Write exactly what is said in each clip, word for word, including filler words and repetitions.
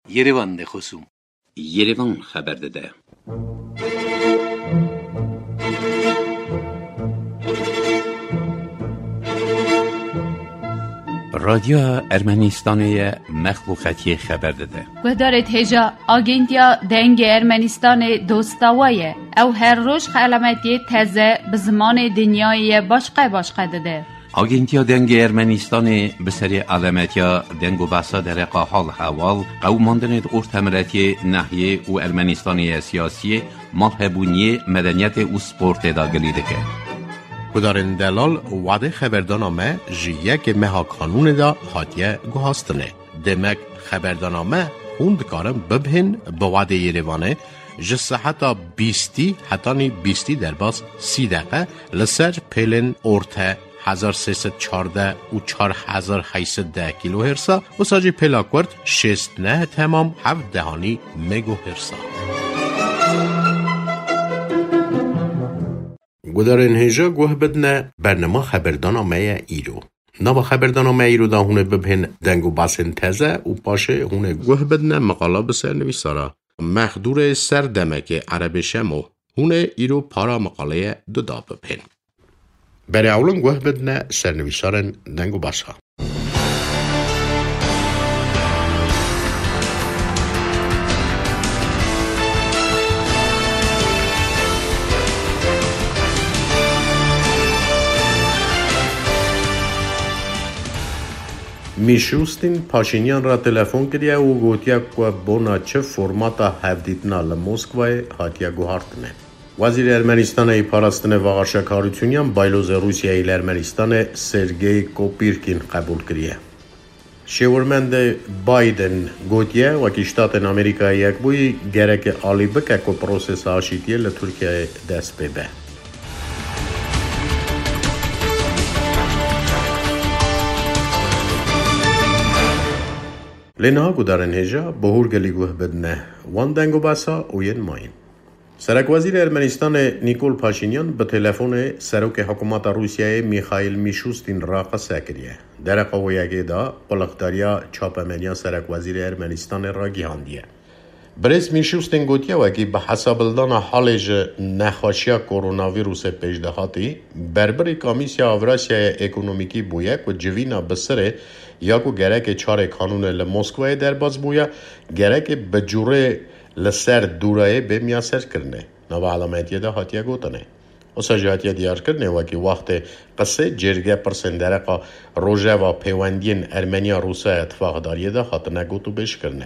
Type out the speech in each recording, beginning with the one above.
Yerevan de xosûm. Yerevan xeber dide. Radyoya Ermenistanê ye, Mexlûqetiyê xeber dide. Guhdarêt hêja, Agentiya Dengê Ermenistanê dosta we ye. Ew her roj xelametiyê teze bi zimanê dinyayê ye başqe başqe dide. Agentiya Dengê Ermenistanê bi serê alemetiya deng û behsa dereqa hal hewal, qewimandinê di ortemiletiyê, nehiyê û Ermenistanê ye siyasiyê, malhebûniyê, medeniyetê û sportê de gilî dike. Gudarên delal, wadê xeberdana me ji yekê meha kanûnê de hatiye guhastinê. Demek xeberdana me hûn dikarin bibihên bi wadê Yerevanê ji seheta bîstî hetanî bîstî derbas sî deqe li ser pêlên orte hezar sê sed çardeh û çar hezar heyt sed deh kîlohêrsa, wisa jî pêla kurt şêst neh temam heft dehanî megohêrsa. Gudarên hêja guh bidine, bernama xeberdana me ye îro. Nava xeberdana me îro de hûn ê bibihên deng û basên teze û paşê hûn ê guh bidine meqala bi sernivîsara Mexdûrê Serdemekê Erebê Şemo. Hûn ê îro para meqaleyê duda bibihên. Berê ewlin guh bidine sernivîsarên deng û basa. Mîşûstîn Paşînyan re telefon kiriye û gotiye ku bona çi formata hevdîtina li Moskwayê hatiye guhartine. Wezîrê Ermenistanê yê parastinê Vaxarşa Karûçûnyan baylozê Rûsyayê li Ermenistanê Sergey Kopîrkîn qebûl kiriye. Şêwirmendê Biden gotiye, wekî Ştatên Amerîkayê Yekbûyî gereke alî bike ku prosesa aşîtiyê li Tirkiyeyê dest pê be. Lê niha gudarên hêja bi hûrgilî guh bidine wan deng û basa û yên mayîn. Serekwezîrê Ermenistanê Nîkol Paşînyan bi telefonê serokê hikûmeta Rûsyayê Mîxaîl Mîşûstîn re qise kiriye. Dereqa wê yekê de quliqdariya çapemeniya serekwezîrê Ermenistanê ragihandiye. Birêz Mîşûstîn gotiye, wekî bi hesabildana halê ji nexweşiya koronavîrusê pêşdihatî, berbirî Komîsya Avrasyaya Ekonomîkî bûye ku civîna bi sirê ya ku gerekê çarê kanûnê li Moskwayê derbas bûye, gerekê bi cûrê li ser dûrayê bê miyaserkirinê. Nava alametiyê de hatiye gotinê. Wisa jî hatiye diyarkirinê, wekî wextê qisê cêrge pirsên dereqa rojeva pêwendiyên Ermeniya Rûsaya tifaqdariyê de hatine gotûbêjkirinê.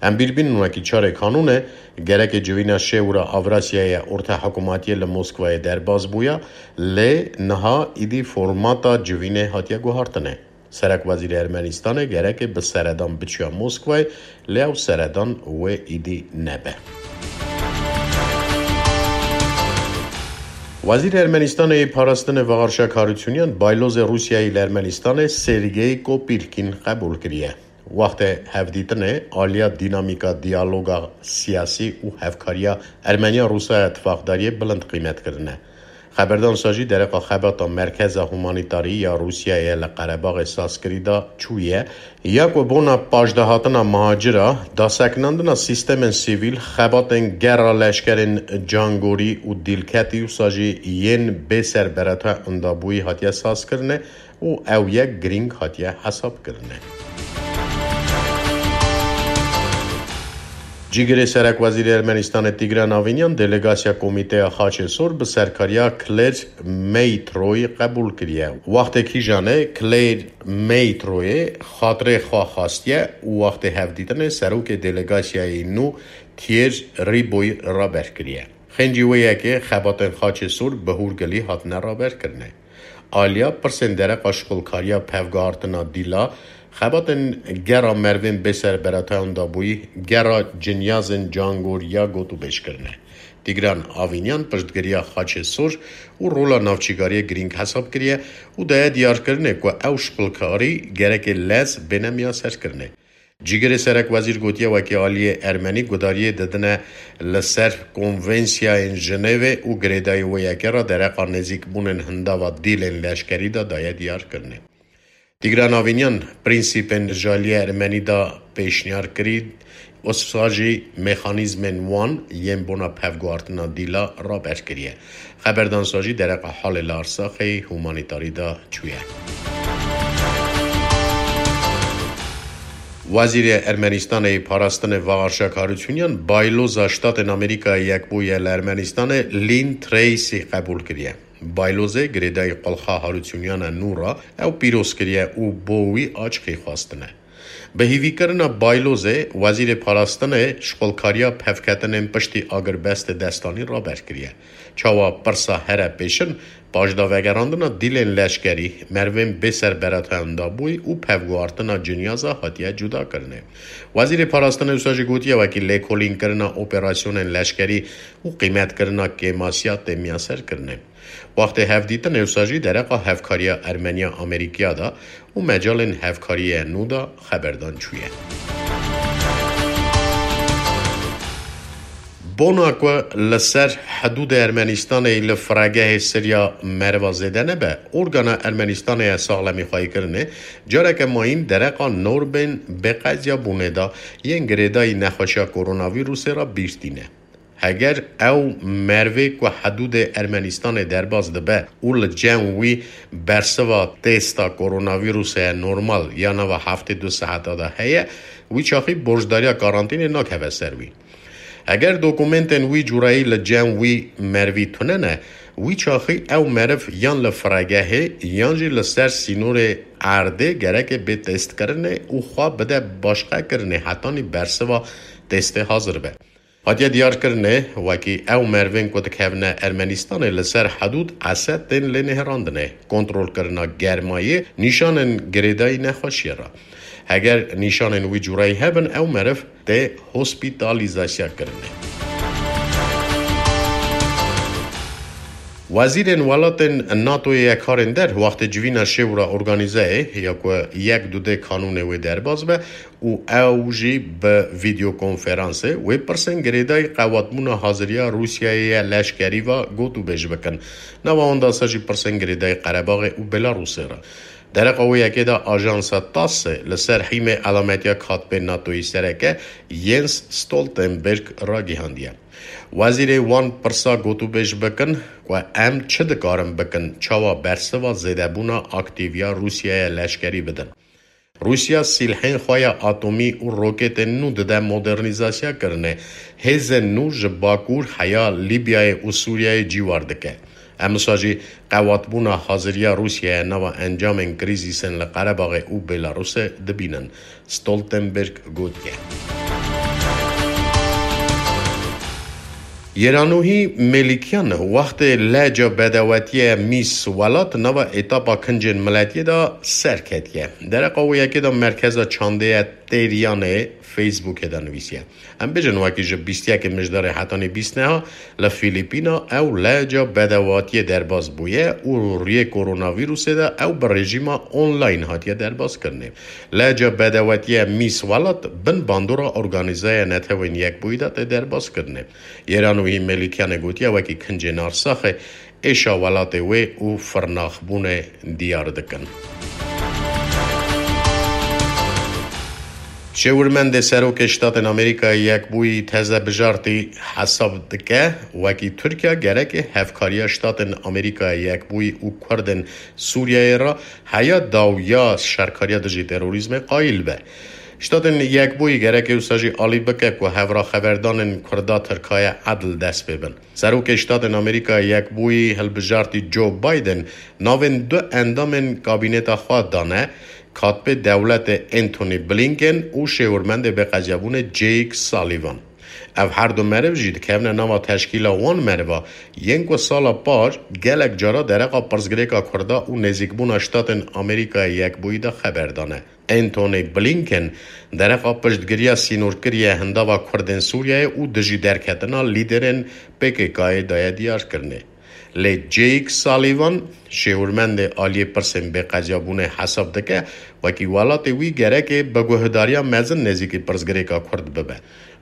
Em bîr bînin, wekî çarê kanûnê gerekê civîna şêwira Avrasyaya orta hikûmatiyê li Moskwayê derbas bûya, lê niha îdî formata civînê hatiye guhartinê. Serekwezîrê Ermenistanê gereke bi seredan biçiya Moskwayê, lê ew seredan wê îdî nebe. Wezîrê Ermenistanê yê parastinê Vaxarşa Karûçûnyan baylozê Rûsyayê li Ermenistanê Sergey Kopîrkîn qebûl kiriye. Wextê hevdîtinê aliya dînamîka diyaloga siyasî û hevkariya Ermeniya Rûsaya tifaqdariyê bilind qîmet kirine. Xeberdan sa jî dereqa xebata Merkeza Humanîtarî ya Rûsyayê li Qerebaxê Sazkirî de çûye, ya ku bona paşdahatina muhacira, dasekinandina sîstemên sivîl, xebatên gera leşkerên cangorî û dîlketî wisa jî yên bê serberata indabûyî hatiye sazkirine û ew yek girîng hatiye hesabkirine. Cîgirê Serekwezîrê Ermenistanê Tîgran Avînyan delegasiya Komîteya Xaçê Sor bi serkariya Claire Meytroyê qebûl kiriye. Wextê kîjanê Claire Meytroyê xatirê xwe xastiye û wextê hevdîtinê serokê delegasiyayê nû Thierry Riboyî raber kiriye. Xêncî wê yekê xebatên Xaçê Sor bi hûrgilî hatine raberkirinê. Aliya pirsên dereqa şixulkariya pevguhartina dîla, xebatên gera merivên bê serberatayan dabûyî, gera cinyazên cangoriya gotûbêj kirine. Tîgran Avînyan piştgiriya Xaçê Sor û rola navçîgariyê girîng hesab kiriye û daye diyarkirinê ku ew şixulkarî gereke lez bêne miyaserkirinê. Cîgirê Serekwezîr gotiye, wekî aliyê Ermenî gudariyê didine li ser Konvensiyayên Jinêvê û girêdayî wê yekê re dereqa nêzîkbûnên hindava dîlên leşkerî de daye diyarkirinê. Tîgran Avînyan prensîpên ji aliyê Ermenî de pêşniyar kirî, Wisa jî mexanîzmên wan yên bona pevguhartina dîla raber kiriye. Xeberdan sa jî dereqa halê li Arsaxê humanîtarî de çûye. Wezîrê Ermenistanê yê Parastinê Vagarşa Karûçunyan bayloza Ştatên Amerîkayê Yekbûyî li Ermenistanê Lynn Tracy qebûl kiriye. Baylozê girêdayî qulxa Harûçunyan e nû re ew pîroz kiriye û bo wî aşqî xwestine. Bi hîvîkirina baylozê, Wezîrê Parastinê şixulkariya pevketinên piştî agirbestê destanî raber kiriye. Çawa pirsa here pêşin, paşdavegerandina dîlên leşkerî, merivên bê serberetayandabûyî û pevguhartina cinyaza hatiye cudakirinê. Wezîrê Parastinê wisa jî gotiye, wekî lêkolînkirina operasyonên leşkerî û qîmetkirina kêmasiya têmiyaserkirinê. Wextê hevdîtinê wisa jî dereqa hevkariya Ermeniya Amerîkiya de û mecalên hevkariyê nû de xeberdan çûye. Bona ku li ser hidûdê Ermenistanê li firegehê Sirya meriva zêde nebe, organa Ermenistanê ya saxlemîxwayîkirinê careke mayîn dereqa norbên bêqeziyabûnê de yên girêdayî nexweşiya koronavîrusê re bîr tîne. Heger ew merivê ku hidûdê Ermenistanê derbas dibe û li cem wî bersiva testa koronavîrusê normal ya nava heftê du saeta de heye, wî çaxî borcdariya karantînê nakeve ser wî. Heger dokumentên wî curayî li cem wî merivî tune ne, wî çaxî ew meriv yan li firegehê yan jî li ser sînorê erdê gereke bê testkirinê û xwe bide başqekirinê hetanî bersiva testê hazir be. Hatiye diyarkirinê, wekî ew merivên ku dikevine Ermenistanê li ser hidûd ese tên lênihêrandinê, kontrolkirina germayê, nîşanên girêdayî nexweşiyê re. Heger nîşanên wî curayî hebin, ew meriv tê hospîtalîzasya kirinê. Wezîrên welatên NATOyê ye karên der wextê civîna şêwra organîzeyê ya ku yek dudê kanûnê wê derbas be û ew jî bi vîdeokonferansê wê pirsên girêdayî qewatbûna haziriya Rûsyayê ye leşkerî ve gotûbêj bikin. Nava wan de se jî pirsên girêdayî Qerebaxê û Belarûsê re. Dereqa wê yekê de ajansa TASSê li ser hîmê elametiya katibê NATOyî sereke Jens Stoltenberg ragihandiye. Wezîrê wan pirsa gotûbêj bikin ku em çi dikarin bikin, çawa bersiva zêdebûna aktîviya Rûsyayê leşkerî bidin. Rûsya sîlhên xwe ya atomî û roketên nû dide modernîzasya kirinê. Hêzên nû ji Bakur heya Lîbyayê û Sûriyeyê cîwar dike. Em wisa jî qewatbûna haziriya Rûsyayê nava encamên krîzîsên li Qerebaxê û Belarusê dibînin, Stoltenberg gotiye. Yêranûhî Mêlikyan wextê leca bedewetiyê mîs welat nava etapa kincên miletiyê de serketiye. Dereqa wê yekê de merkeza çandê ye Têriyanê Facebookê de nivîsiye. Em bêjin wekî ji bîst yekê Mijdarê hetanî bîst neha li Fîlîpîna ew leca bedewatiyê derbas bûye û rûyê koronavîrusê de ew bi rejîma online hatiye derbas kirinê. Leca bedewatiyê mîs welat bin bandora Organîzeya Netewên Yekbûyî de tê derbas kirinê. Yêranûhî Mêlikyanê gotiye wekî kincên Arsaxê êşa welatê wê û firnaxbûnê diyar dikin. Şêwirmendê Serokê Ştatên Amerîkayê Yekbûyî teze bijartî hesab dike, wekî Tirkiye gereke hevkariya Ştatên Amerîkayê Yekbûyî û Kurdên Sûriyeyê re heya dawiya şerkariya dijî terorîzmê qayîl be. Ştatên Yekbûyî gereke wisa jî alî bike ku hevraxeverdanên Kurda Tirkaye edil dest pê bin. Serokê Ştatên Amerîka Yekbûyî hilbijartî Joe Biden navên du endamên kabîneta xwe dane, katibê dewletê Antony Blinken û şêwirmendê bêqeziyabûnê Jake Sullivan. Ev her du meriv jî dikevine nava teşkîla wan meriva yên ku sala par gelek cara dereqa pirsgirêka Kurda û nêzîkbûna Ştatên Amerîkayê Yekbûyî de xeber dane. Antony Blinken dereqa piştgiriya sînorkirî ye hindava Kurdên Sûriyeyê û dijî derketina lîderên P K K'yê daye diyarkirinê. Lê Jake Sullivan, şêwirmendê aliyê pirsên bêqeziyabûnê hesab dike, wekî welatê wî gerekê bi guhdariya mezin nêzîkî pirsgirêka Kurd bibe.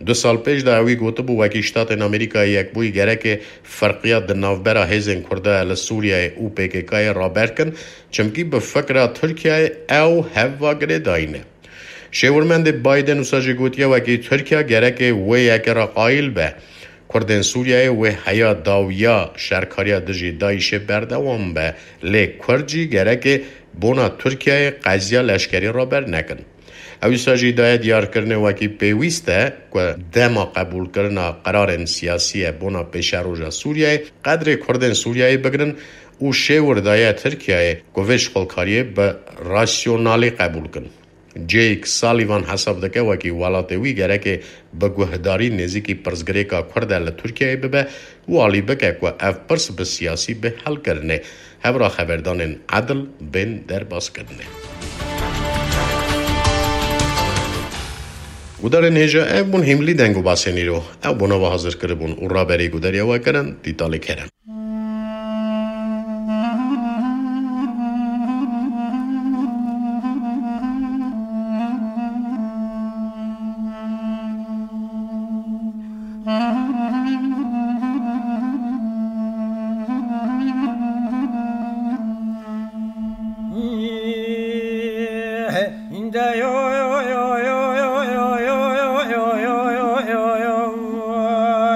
Du sal pêş de ewî gotibû, wekî Ştatên Amerîkayê Yekbûyî gerekê ferqiya di navbera hêzên Kurda li Sûriyeyê û P K K'yê raber kin, çimkî bi fikra Tirkiyeyê ew hev ve girêdayî ne. Şêwirmendê Biden wisa jî gotiye, wekî Tirkiye gereke wê yekê re qayîl be. Kurdên Sûriyeyê wê heya dawiya şerkariya dijî DAIŞê berdewam be, lê Kurd jî gereke bona Tirkiyeyê qeziya leşkerî raber nekin. Ew wisa jî daye diyarkirinê, wekî pêwîst e ku dema qebûlkirina qerarên siyasî ye bona pêşeroja Sûriyeyê, qedrê Kurdên Sûriyeyê bigirin û şêwir daye Tirkiyeyê ku vê şixulkariyê bi rasyonalî qebûl kin. Jake Sullivan hesab dike, wekî welatê wî gereke bi guhdarî nêzîkî pirsgirêka Kurd e li Tirkiyeyê bibe û alî bike ku ev pirs bi siyasî bê helkirinê. Hevra xeberdanên edil bên derbaskirinê. Gudarên hêja, ev bûn hîmlî deng û basên îro. Ew bona we hazir kiribûn û raberî gudariya we kirin Dîtalê Kerem.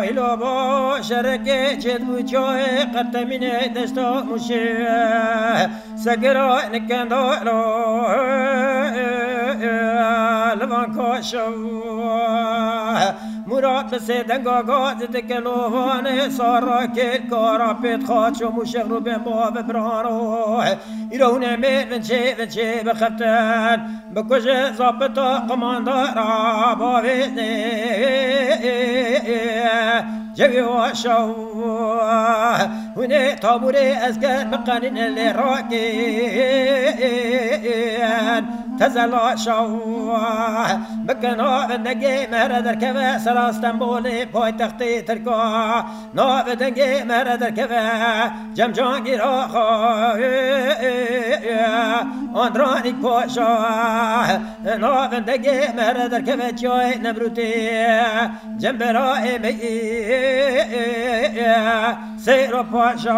Îlo bo şerekê çêdibû çayê qertemînê desta mûşê. Segera nikendalo li van kaşew. Murat bi sê denga gazî dike lovanê sara kêl kara pêt xaço mûşex rûbên bo bi birano. Îro hûn ê mêr vinçê vinçê bixeftin. Bikuje zapita qumandara bavênê. Cewî wa şew. Hûnê taburê esker biqenîne lê rakên. Tezela şew. Bikin avin dengê me re derkeve sera Stenbolê paytextê Tirka. Navê dengê me re derkeve cem cangîra xwe. Andranîk paşa. Navê dengê me re derkeve çiyayê Nemrûtê. Cembera ê me sêro paşa.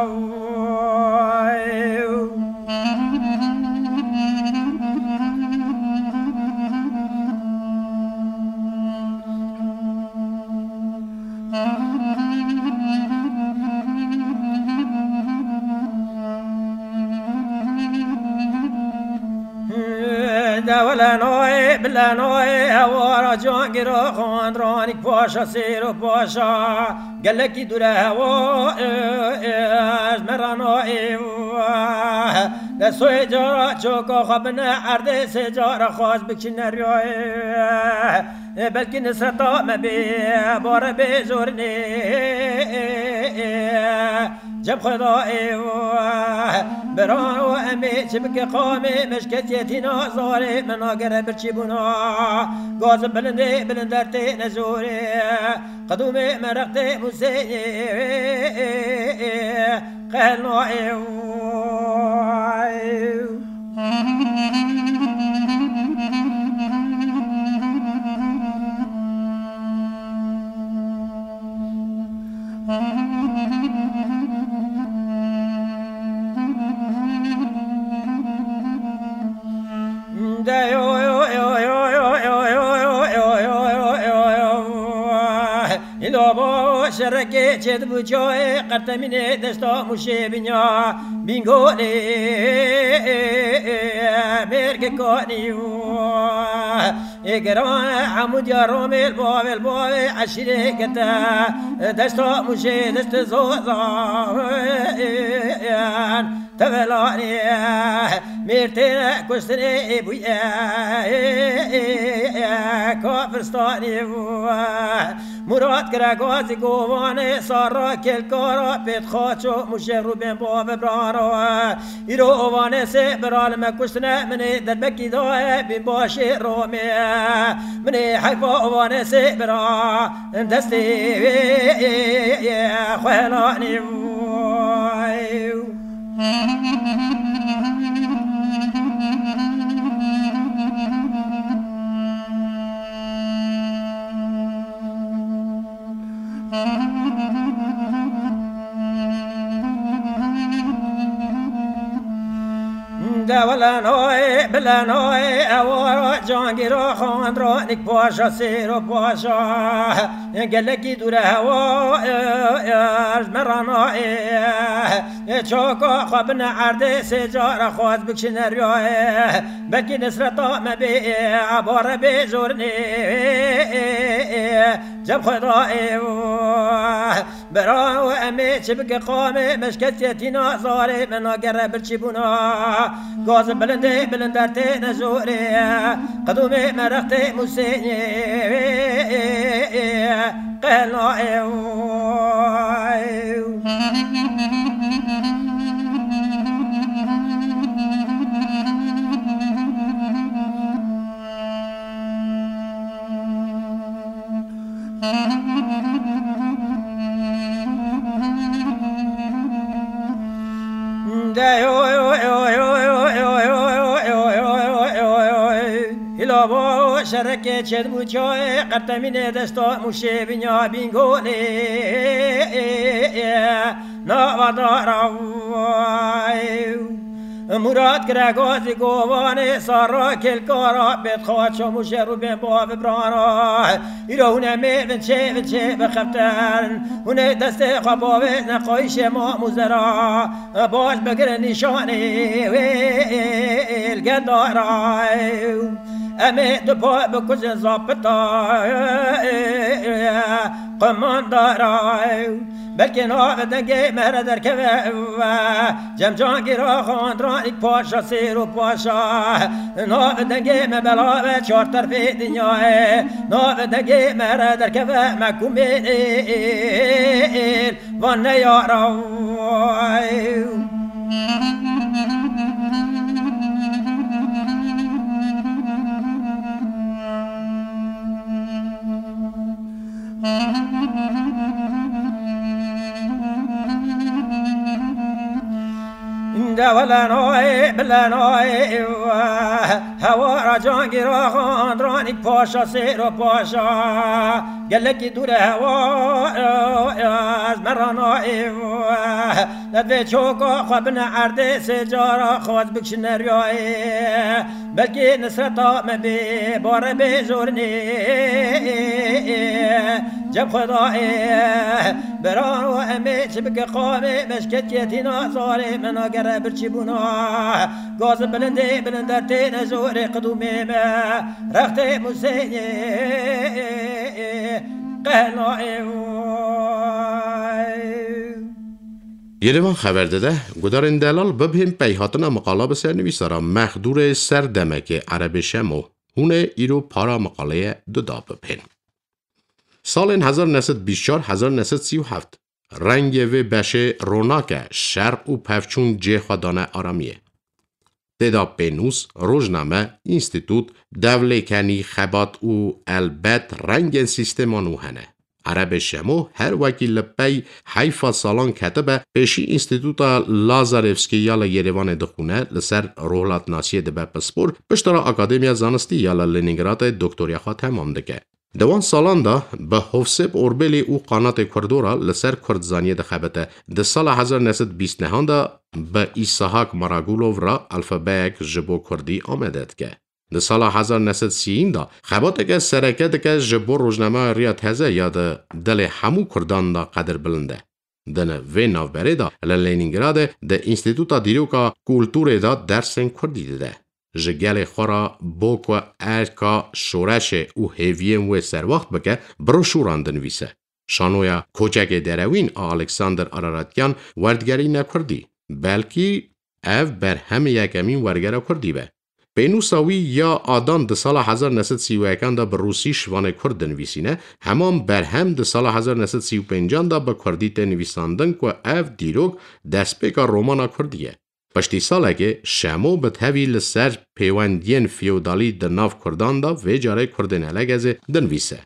Dewlenoyê, bilenoyê, hewara cangiro, xandranîk paşa, sêro paşa, gelekî dûre hewa, ez merano ê, de soyê cara çoka xwe bine erdê, sê cara xwaş bikişine riyayê. Ê, belkî nisreta me bê, bare bê zorinê. Cem xweda ê, biran û em ê çi bike qamê, meşketiyetîna zarê, me nagere birçîbûna. Gazim bilindê, bilinder tê nezorê. Qedûmê me rextê Museyê. Qehel nayê. Îlo bo şerekê çêdibû çayê qertemînê desta mûşê binya bîngolê mêrke kanî. Ê geran hemû diya romê li bavê li bavê eşîrê girte desta mûşê dest zozan. Tevelanê mêrtêne kuştinê ê bûye kafirstanê. Murat kire gazî govanê sara kêlkara pêt xaço mûşê rûbên bavê birano. Îro ovanê sê bira li me kuştine minê derbekî daye bîn başê romê. Minê heyfa ovanê sê bira destê xwe helanê. De wele noyê Bila nayê ewara cangîra xandranik paşa sêro paşa. Gelekî dûre hewa, e, e, ji me ra nayê. E, çoka xwe bine erdê sê cara xwaz bikşine riyayê. Belkî nisreta me bê, e, ebare bê jorinê. Cem xwe da ê. Bira û em ê çi bike qamê, meşketiyetîna zarê me nagere birçîbûna. Gaz bilindê bilinder têne jorê, qidûmê me rextê Musênê qehna ê. Hîla bo şerekê çêdibû çayê, qertemînê desta Mûşê binya Bîngolê nava dara. Murat kire gazî govanê sara kêlkara pêtxaça Mûşê rûbên bavê birana. Îro hûn ê mêvin çê vin çê bixeftin. Hûn ê destê xwe bavêjne qayîşê mam û zera. Baş bigirin nîşanê wê li gel dara. Em ê du pay bikujin zapita qumandara. Belkî navê dengê me re derkeve. Cem cangîra xandranîk paşa sêr û paşa. Navê dengê me bela ve çar terfê dinyayê. Navê dengê me re derkeve me kumêl van neyara. De wele nayê, bile nayê, hewara cangîra xandranîk paşa sêro paşa. Gelekî dûre hewa, ez me ra nayê. Levê çoka xwe bine erdê sê cara xwaz bikşine riyayê. Belkî nisreta me bê, bare bê jorinê. Cem xwe da ê, bira û em ê çi bike qamê, meşketiyetîna zarê me nagere birçîbûna. Gazin bilindê bilinder têne jorê qidûmê me, rextê Musênê qehna ê. Yerevan xeber dide, gudarên delal bibhên peyhatina miqala bi sernivîsara Mexdûrê Serdemekê Erebê Şemo, hûn ê îro para miqaleye duda bibhên. Salên hezar neh sed bîst çar, hezar neh sed sî û heft, rengê vê beşê ronak e, şer û pevçûn cê xwe dane aramiyê. Tê de pênûs, rojname, înstîtût, devlêkenî, xebat û elbet rengên sîstema nû hene. Erebê Şemo her wekî li pey heyfa salan ketibe, pêşî Înstîtûta Lazarevskî ya li Yerêvanê dixwîne, li ser rohlatnasiyê dibe pispor, piştre Akademiya Zanistî ya li Lenîngradê doktoriya xwe temam dike. Di wan salan de bi Hovsêp Orbelî û Qanatê Kurdo re li ser kurdzaniyê dixebite. Di sala hezar neh sed bîst nehan de bi Îsahak Maragulov re alfabeyek ji bo kurdî amade dike. Di sala hezar neh sed sî de xebateke sereke dike ji bo rojnameya Riya Teze ya di dilê hemû kurdan de qedirbilind e. Di vê navberê de li Lenîngradê di Înstîtuta Dîroka Kulturê de dersên kurdî dide. Ji gelê xwe re bo ku erka şoreşê û hêviyên wê serwext bike, broşûran dinivîse. Şanoya Koçekê Derewîn a Alexander Araratyan werdigerîne kurdî. Belkî ev berhemê yekemîn wergera kurdî be. Pênûsa wî ya Adan di sala hezar neh sed sî û yekan de bi rûsî şivanê kurd dinivîsîne, heman berhem di sala hezar neh sed sî û pêncan de bi kurdî tê nivîsandin ku ev dîrok destpêka romana kurdî ye. Piştî salekê Şemo bi tevî li ser pêwendiyên feodalî di nav kurdan de vê carê kurdên Elegezê dinivîse.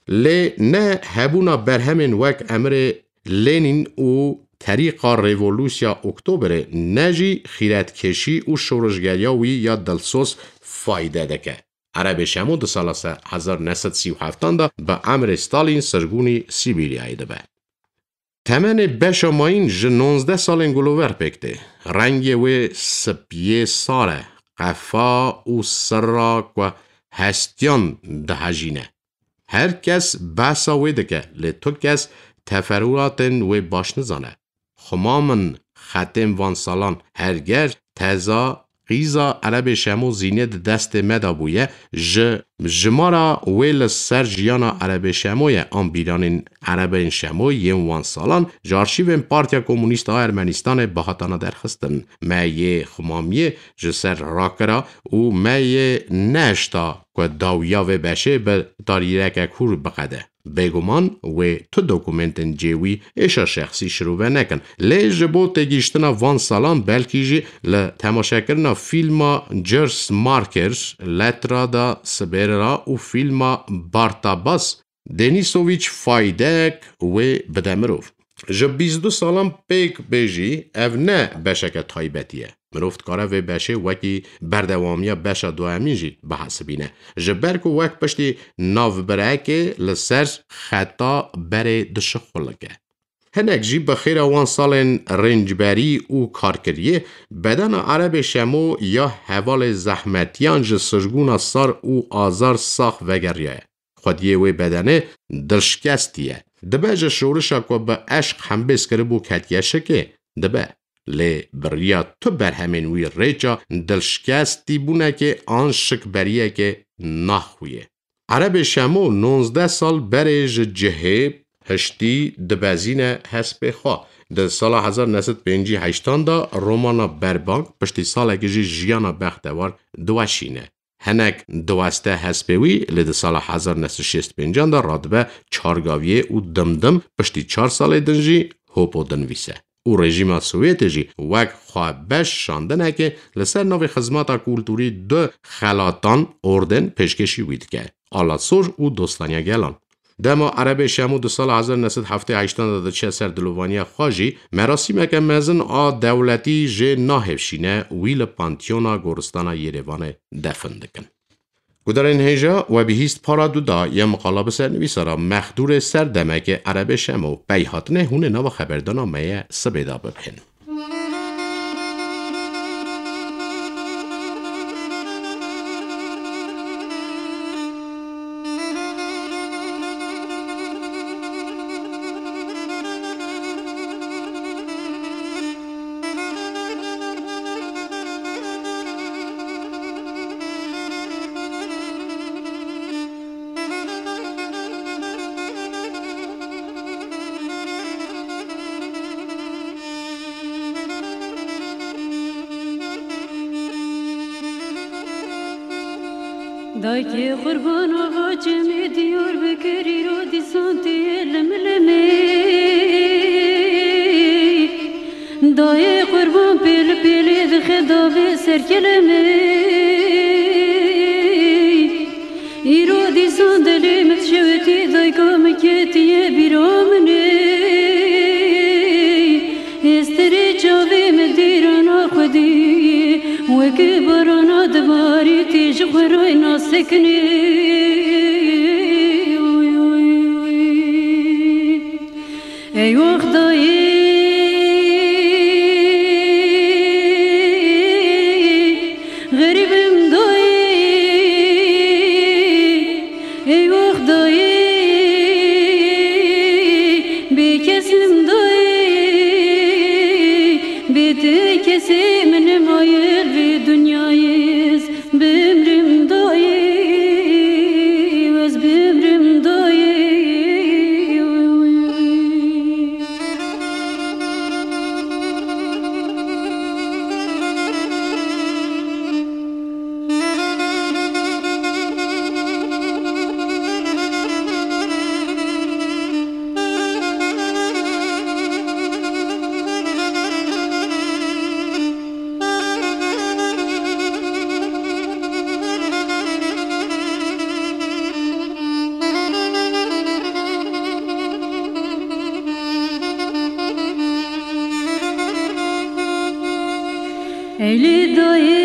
Lê ne hebûna berhemên wek Emirê Lenîn û Terîqa Revolûsya Oktoberê ne jî xîretkêşî û şoreşgeriya wî ya dilsoz fayde dike. Erebê Şemo di sala se-, hezar neh sed sî û heftan de bi emrê Stalîn sirgûnî Sîbîryayê dibe. Temenê beşa mayîn ji nonzdeh salên gulover pêk tê. Rengê wê sipiyê sar e, qefa û sira ku hestiyan dihejîne. Her kes behsa wê dike, lê tu kes teferûatên wê baş nizane. Xwema min xetên van salan, herger teza qîza Erebê Şemo zînê di destê me de bûye, ji jimara wê li ser jiyana Erebê Şemo ye, an bîranên Erebên Şemo yên wan salan ji arşîvên Partiya Komûnîst a Ermenîstanê bihatana derxistin. Me yê xwemamiyê ji ser rakira û me yê nehişta ku dawiya vê beşê bi tarîreke kûr biqede. Bêguman wê tu dokumentên cê wî êşa şexsî şirove nekin. Lê ji bo têgihiştina van salan belkî jî li temaşekirina fîlma Jers Marker, Letra da Sibêra û fîlma Bartabas Denisovîç faydek wê bide mirov. Ji bîst û du salan pêk bê jî ev ne beşeke taybetî ye. Mirov dikare vê beşê wekî berdewamiya beşa duhemîn jî bihesibîne. Ji ber ku wek piştî navbirekê li ser xeta berê dişixulike. Hinek jî bi xêra wan salên rêncberî û karkiriyê, bedena Erebê Şemo ya hevalê zehmetiyan ji sirgûna sar û azar sax vegeriyaye. Xwediyê wê bedenê dilşikestî ye. Dibe ji şorişa ku bi eşq hembêz kiribû ketiye şikê? Dibe. Lê bi riya tu berhemên wî rêça dilşikestîbûnekê an şikberiyekê naxuye. Erebê Şemo nonzdeh sal berê ji cihê hiştî dibezîne hespê xwe. Di sala hezar neh sed pêncî heştan de romana Berbang, piştî salekê jî jiyana bextewar diweşîne. Hinek diweste hespê wî, lê di sala hezar neh sed şêst pêncan de radibe çargaviyê û dimdim piştî çar salê din jî Hopo dinivîse. Û rejîma Sovyetê jî wek xwebeş şandinekê li ser navê xizmeta kulturî du xelatan, orden, pêşkêşî wî dike. Alasor û Dostaniya Gelan. Dema Erebê Şemo di sala hezar neh sed heftê heştan de diçe ser dilovaniya xwe jî, merasîmeke mezin a dewletî jê nahêvşîne, wî li Panteona Goristana Yerêvanê defin dikin. Gudarên hêja, we bihîst para du da ya miqala bi sernivîsara Mexdûrê Serdemekê Erebê Şemo, pey hatinê hûn ê nava xeberdana me ye sibê de bibihên. Dayke Qurban Axa çemê Diyarbekir îro dîsan tê limlimê. Dayê Qurban pêl pêlê dixe davê ser kelemê. Îro dîsan dilê min dişewitî dayka min ketiye bîra min ê. Êstirê çavê min dêrana xwedî, weke barana dibarî tê ji xwe rayna sekinê. Ey wext dayê, xerîbim dayê, ey wext dayê, bê kesim dayê, bê te kesê min nemaye vê dinyayê. Bimrim dayê, ez bimrim dayê. Eylê dayê,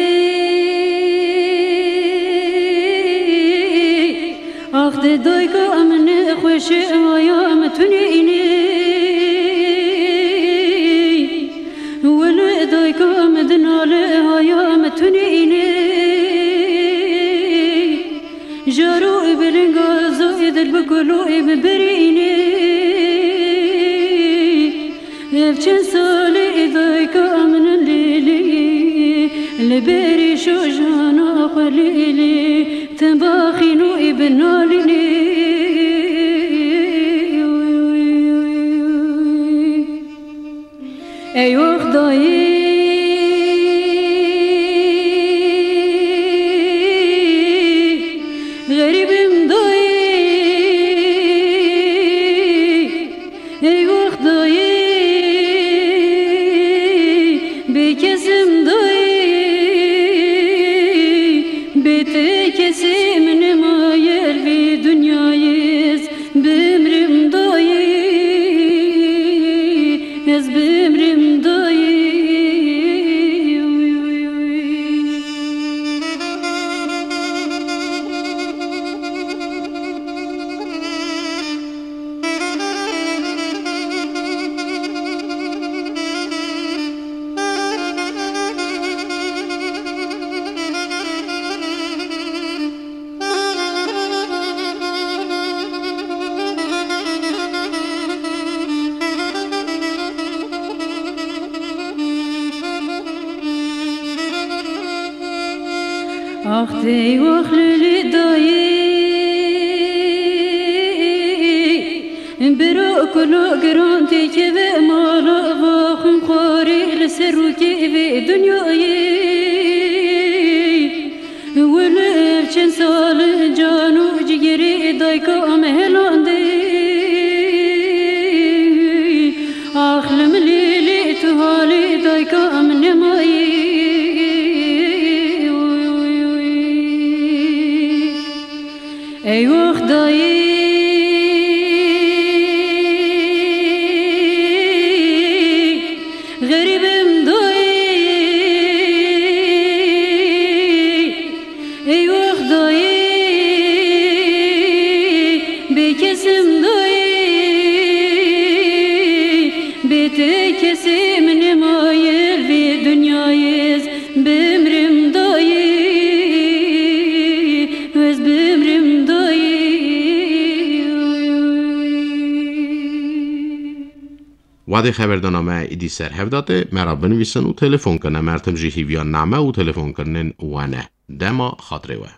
ax de dayka min xweşe aya min tunê înê. Wele dayka min dinale aya min tunê înê. Caro ê bilinga zo ê dil bi kulo ê bi birînê. Ev çend salê ê dayka min in lêlê. Li berî şojana xwe lêlê. Tim baxîno ê bi nalînê. Ey wext dayê, xerîb im dayê, ey wext dayê, bê kes im dayê, bê te kesê min nemaye li vê dinyayê. Bimrim dayê, ez bimrim dayê. Ax tey wax lili dayê, biro kulo giran tê keve mala va xwîn xwarê li ser rûkê vê dinyayê. Wilo ev çend sal in can û cigirê dayka em helandê. Ax li milê lê tu halê dayka em nemayê. Ey wext dayê, xerîb im dayê, ey wext dayê, bê kes im dayê, bê te kesê min nemaye li vê dinyayê. Bimrim dayê, ez bimrim dayê. Wadê xeberdana me îdî ser hev date, me re binivîsin û telefon kin. Em her tim jî hîviya name û telefonkirinên we ne. Dema xatirê we.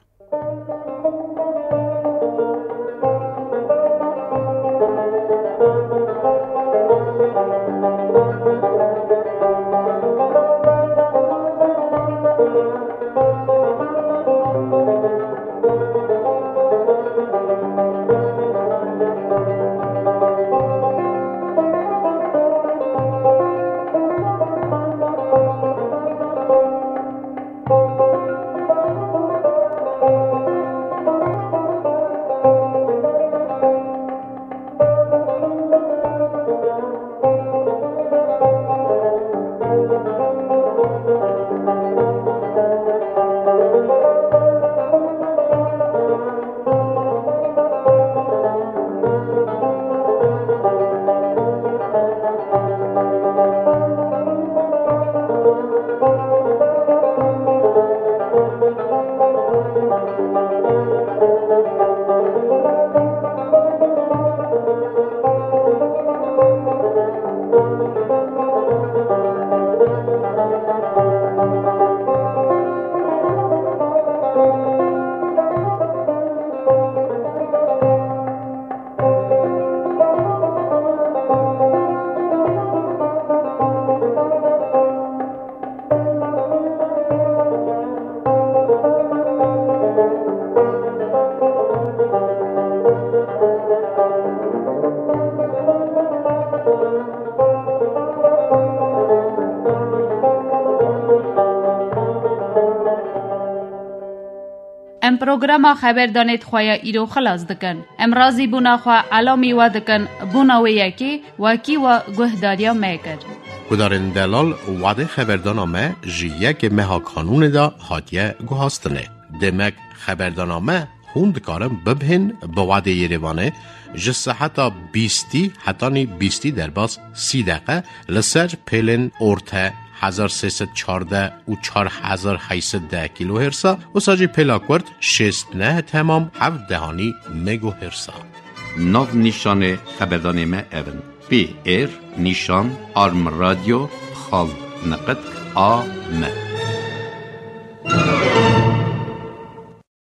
Em programa xeberdanê xwe ya îro xilas dikin. Em razîbûna xwe elamî we dikin, bûna wê yekê wekî we guhdariya me kir. Guhdarên delal, wadê xeberdana me ji yekê meha Kanûnê de hatiye guhastinê. Demek xeberdana me hûn dikarin bibihên bi wadê Yerêvanê ji seheta bîstî hetanî bîstî derbas sî deqe li ser pêlên orte hezar sê sed çardeh û çar hezar heyt sed deh kilohertz a, wisa jî pêla kurt şêst neh temam heft dehanî megahertz a. Nav nîşanê xeberdanê me ev in: P R nîşan arm radio xal neqet A M.